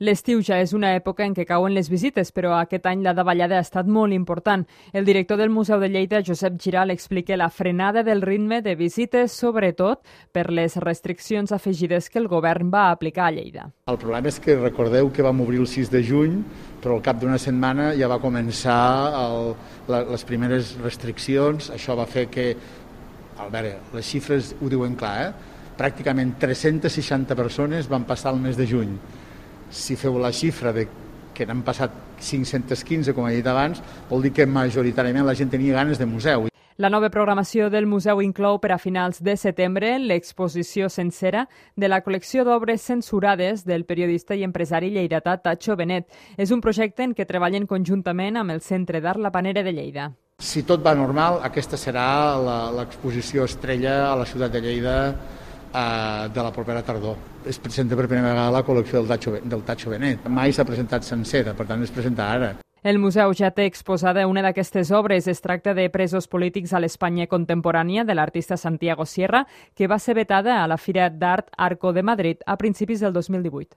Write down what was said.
L'estiu ja és una època en què cauen les visites, però aquest any la davallada ha estat molt important. El director del Museu de Lleida, Josep Giral, explica la frenada del ritme de visites, sobretot per les restriccions afegides que el govern va aplicar a Lleida. El problema és que recordeu que vam obrir el 6 de juny, però al cap d'una setmana ja va començar les primeres restriccions. Això va fer que, a veure, les xifres ho diuen clar, pràcticament 360 persones van passar el mes de juny. Si feu la xifra de que n'han passat 515, com he dit abans, vol dir que majoritàriament la gent tenia ganes de museu. La nova programació del museu inclou per a finals de setembre l'exposició sencera de la col·lecció d'obres censurades del periodista i empresari lleidatà Tacho Benet. És un projecte en què treballen conjuntament amb el Centre d'Art La Panera de Lleida. Si tot va normal, aquesta serà l'exposició estrella a la ciutat de Lleida de la propera tardor. Es presenta per primera vegada la col·lecció del Tacho Benet. Mai s'ha presentat sencera, per tant es presenta ara. El museu ja té exposada una d'aquestes obres. Es tracta de Presos polítics a l'Espanya contemporània de l'artista Santiago Sierra, que va ser vetada a la Fira d'Art Arco de Madrid a principis del 2018.